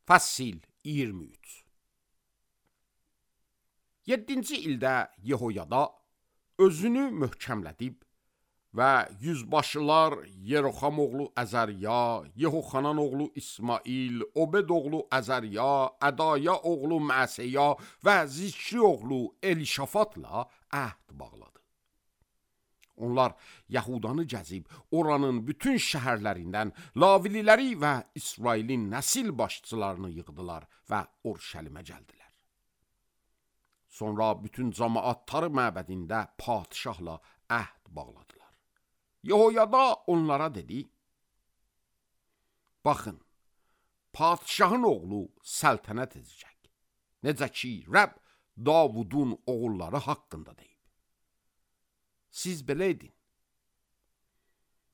Fəsil 23. 7-ci ildə Yehoyada özünü möhkəmlədib və yüzbaşılar Yeroxam oğlu Əzərya, Yehoxanan oğlu İsmail, Obed oğlu Əzərya, Ədaya oğlu Məsəya və Zikri oğlu Elişafatla əhd bağladı. Onlar Yahudanı gəzib, oranın bütün şəhərlərindən Lavililəri və İsrailin nəsil başçılarını yığdılar və Urşəlimə gəldilər. Sonra bütün cəmaət Tarı məbədində padişahla əhd bağladılar. Yehoyada onlara dedi: Baxın, padişahın oğlu səltənət edəcək. Necə ki, Rəbb Davudun oğulları haqqında deyib. Siz belə edin.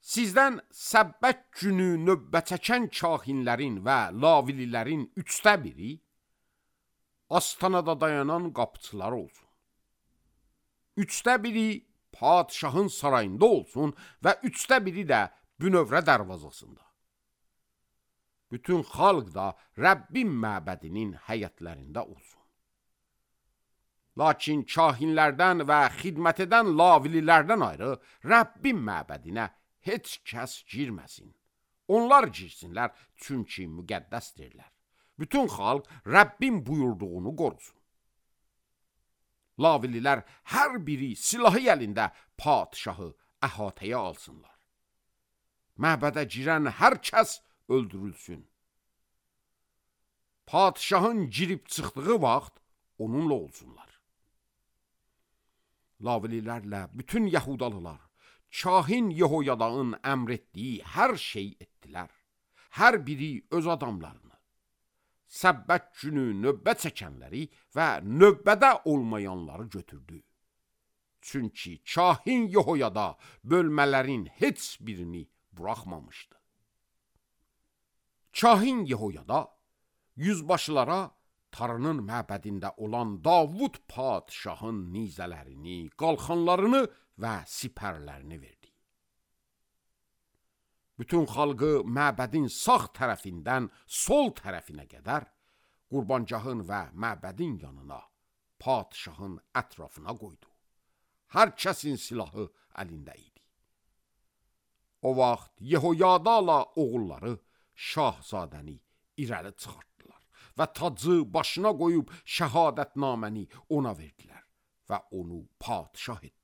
Sizdən Səbbət günü növbə çəkən kahinlərin və lavililərin 1/3 astanada dayanan qapıçılar olsun. 1/3 padişahın sarayında olsun və 1/3 də bünövrə dərvazasında. Bütün xalq da Rəbbin məbədinin həyətlərində olsun. Lakin kahinlərdən və xidmət edən lavililərdən ayrı Rəbbin məbədinə heç kəs girməsin. Onlar girsinlər, çünki müqəddəsdirlər. Bütün xalq Rəbbin buyurduğunu qorusun. Lavililər hər biri silahı əlində padişahı əhatəyə alsınlar. Məbədə girən hər kəs öldürülsün. Padişahın girib çıxdığı vaxt onunla olsunlar. Lavililərlə bütün Yahudalılar kahin Yehoyada'nın əmr etdiyi hər şey etdilər. Hər biri öz adamlarını, Səbbət günü növbə çəkənləri və növbədə olmayanları götürdü. Çünki kahin Yehoyada bölmələrin heç birini buraxmamışdı. Kahin Yehoyada yüzbaşılara Tarının məbədində olan Davud padişahın nizələrini, qalxanlarını və sipərlərini verdi. Bütün xalqı məbədin sağ tərəfindən sol tərəfinə qədər qurbancağın və məbədin yanına, padişahın ətrafına qoydu. Hər kəsin silahı əlində idi. O vaxt Yehoyada'la oğulları şahzadəni irəli çıxartdılar və tacı başına qoyub şəhadətnaməni ona verdilər və onu padişah etdilər.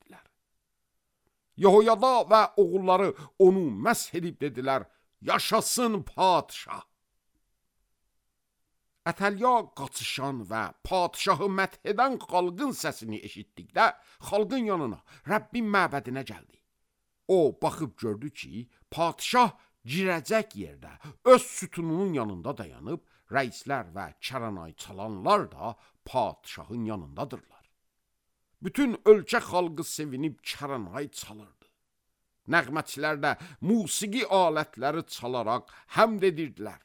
Yehoyada və oğulları onu məsh edib dedilər: Yaşasın padişah! Ətəlya qaçışan və padişahı məth edən xalqın səsini eşitdikdə xalqın yanına, Rəbbin məbədinə gəldi. O baxıb gördü ki, padişah girəcək yerdə öz sütununun yanında dayanıb, rəislər və kəranay çalanlar da padişahın yanındadırlar. Bütün ölkə xalqı sevinib kəranay çalırdı. Nəğməçilər də musiqi alətləri çalaraq həmd edirdilər.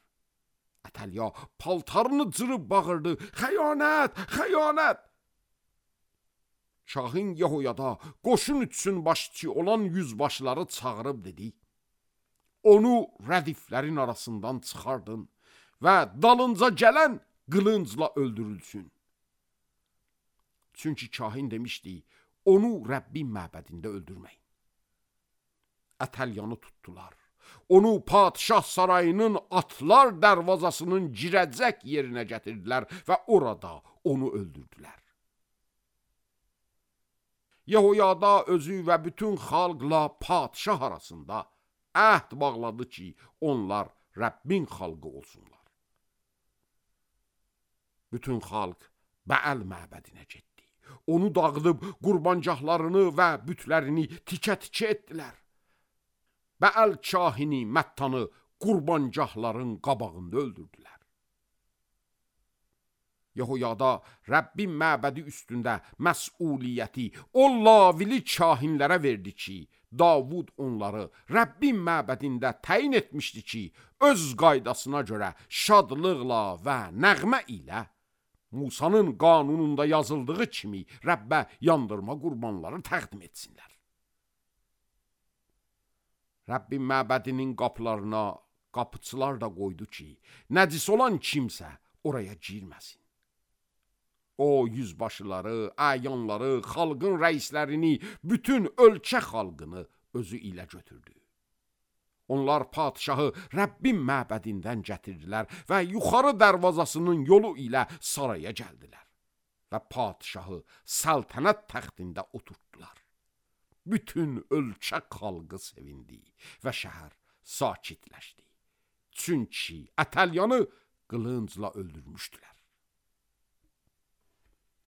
Ətəlya paltarını cırıb bağırdı: Xəyanət, xəyanət! Kahin Yehoyada qoşun üçün başçı olan yüzbaşları çağırıb dedi: Onu rədiflərin arasından çıxardın və dalınca gələn qılıncla öldürülsün. Çünki kahin demişdi: Onu Rəbbin məbədində öldürməyin. Ətəlyanı tutdular. Onu padişah sarayının atlar dərvazasının girəcək yerinə gətirdilər və orada onu öldürdülər. Yehoyada özü və bütün xalqla padişah arasında əhd bağladı ki, onlar Rəbbin xalqı olsunlar. Bütün xalq Bəəl məbədinə getdi. Onu dağıdıb qurbancaqlarını və bütlərini tikə-tikə etdilər. Bəəl kahini Məttanı qurbancaqların qabağında öldürdülər. Yehoyada Rəbbin məbədi üstündə məsuliyyəti o lavili kahinlərə verdi ki, Davud onları Rəbbin məbədində təyin etmişdi ki, öz qaydasına görə şadlıqla və nəğmə ilə Musanın qanununda yazıldığı kimi Rəbbə yandırma qurbanları təqdim etsinlər. Rəbbin məbədinin qapılarına Qapıçılar da qoydu ki, nəcis olan kimsə oraya girməsin. O yüzbaşıları, əyanları, xalqın rəislərini, bütün ölkə xalqını özü ilə götürdü. Onlar padişahı Rəbbin məbədindən gətirdilər və yuxarı dərvazasının yolu ilə saraya gəldilər və padişahı səltənət təxtində oturtdular. Bütün ölkə xalqı sevindi və şəhər sakitləşdi. Çünki Ətəlyanı qılıncla öldürmüşdülər.